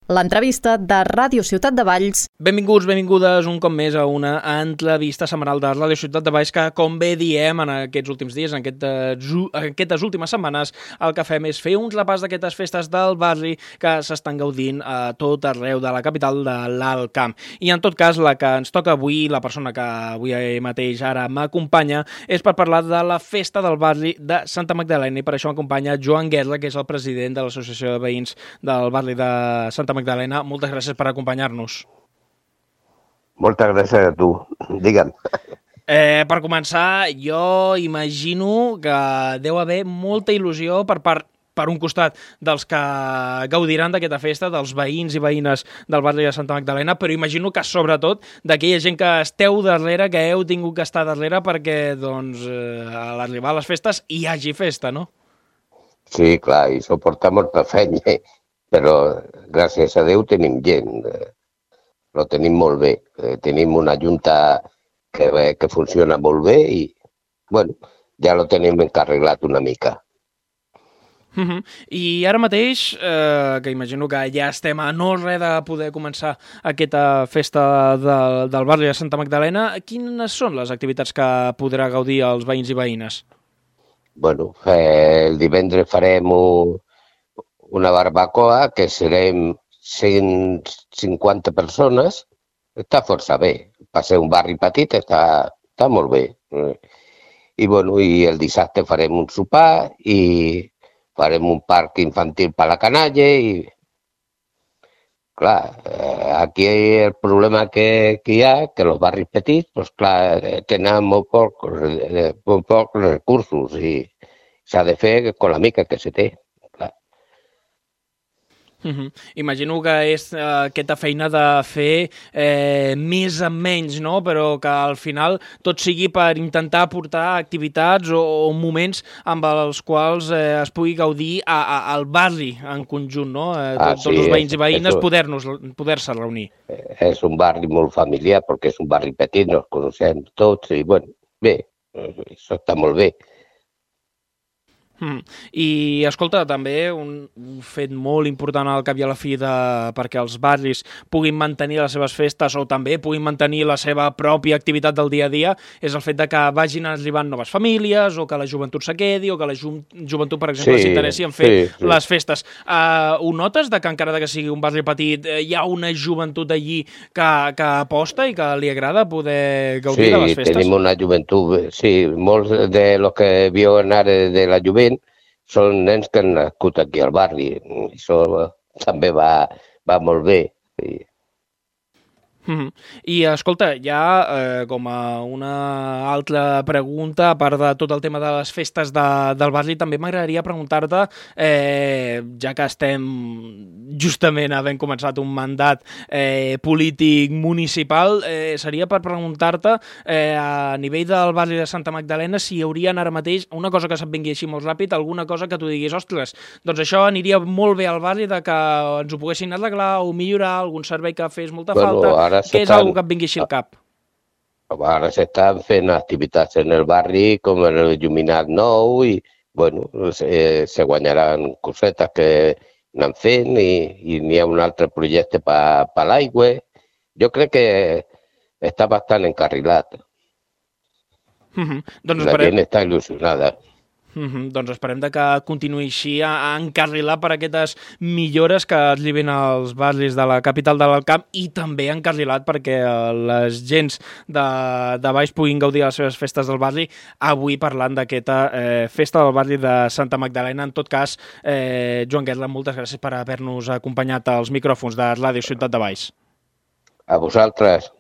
L'entrevista de Ràdio Ciutat de Valls. Benvinguts, benvingudes un cop més a una entrevista setmanal de Ràdio Ciutat de Valls que, com bé diem en aquests últims dies, en aquestes últimes setmanes, el que fem és fer un repàs d'aquestes festes del barri que s'estan gaudint a tot arreu de la capital de l'Alt Camp. I en tot cas, la que ens toca avui, la persona que avui mateix ara m'acompanya, és per parlar de la festa del barri de Santa Magdalena, i per això m'acompanya Joan Guerra, que és el president de l'Associació de Veïns del barri de Santa Magdalena. Moltes gràcies per acompanyar-nos. Moltes gràcies a tu. Digue'm. Per començar, jo imagino que deu haver molta il·lusió per un costat dels que gaudiran d'aquesta festa, dels veïns i veïnes del barri de Santa Magdalena, però imagino que sobretot d'aquella gent que esteu darrere, que heu tingut que estar darrere perquè doncs, a l'arribar a les festes hi hagi festa, no? Sí, clar, i suporta molta feina, però gràcies a Déu tenim gent, lo tenim molt bé. Tenim una junta que funciona molt bé i, bueno, ja lo tenim encarregat una mica. I ara mateix, que imagino que ja estem a no res de poder començar aquesta festa del barri de Santa Magdalena, quines són les activitats que podrà gaudir els veïns i veïnes? Bueno, el divendres farem una barbacoa que serem 150 persones. Està força bé. Per ser un barri petit està molt bé. I, bueno, i el dissabte farem un sopar i farem un parc infantil per la canalla i, clar, aquí el problema que hi ha, que els barris petits, doncs, clar, tenen molt pocs recursos i s'ha de fer amb la mica que se té. Imagino que és aquesta feina de fer més amb menys, no? Però que al final tot sigui per intentar aportar activitats o moments amb els quals es pugui gaudir al barri en conjunt, no? Tots els veïns i veïnes poder-se reunir. És un barri molt familiar perquè és un barri petit, nos coneixem tots i, bueno, bé, això està molt bé. I, escolta, també un fet molt important al cap i a la fi perquè els barris puguin mantenir les seves festes o també puguin mantenir la seva pròpia activitat del dia a dia és el fet de que vagin arribant noves famílies o que la joventut se quedi o que la joventut, per exemple, s'interessi en fer les festes. Ho notes que encara que sigui un barri petit hi ha una joventut allí que aposta i que li agrada poder gaudir de les festes? Sí, tenim una joventut, sí, molts de los que viuen ara de la jovent són nens que han nascut aquí al barri. Això també va molt bé. I, escolta, ja com a una altra pregunta, a part de tot el tema de les festes del barri, també m'agradaria preguntar-te, ja que estem justament havent començat un mandat polític municipal, seria per preguntar-te a nivell del barri de Santa Magdalena si hi haurien ara mateix una cosa que se't vingui així molt ràpid, alguna cosa que tu diguis, ostres, doncs això aniria molt bé al barri, de que ens ho poguessin arreglar o millorar, algun servei que fes molta falta. Què és una que et vingui així al cap? Ara s'estan fent activitats en el barri com el il·luminat nou i, bueno, se guanyaran cosetes que anem fent i n'hi ha un altre projecte per l'aigua. Jo crec que està bastant encarrilat. La gent està il·lusionada. Doncs esperem que continuï així a encarrilar per aquestes millores que arriben als barris de la capital de l'Alt Camp i també encarrilat perquè les gents de baix puguin gaudir de les seves festes del barri, avui parlant d'aquesta festa del barri de Santa Magdalena. En tot cas, Joan Guerra, moltes gràcies per haver-nos acompanyat als micròfons de Ràdio Ciutat de Valls. A vosaltres.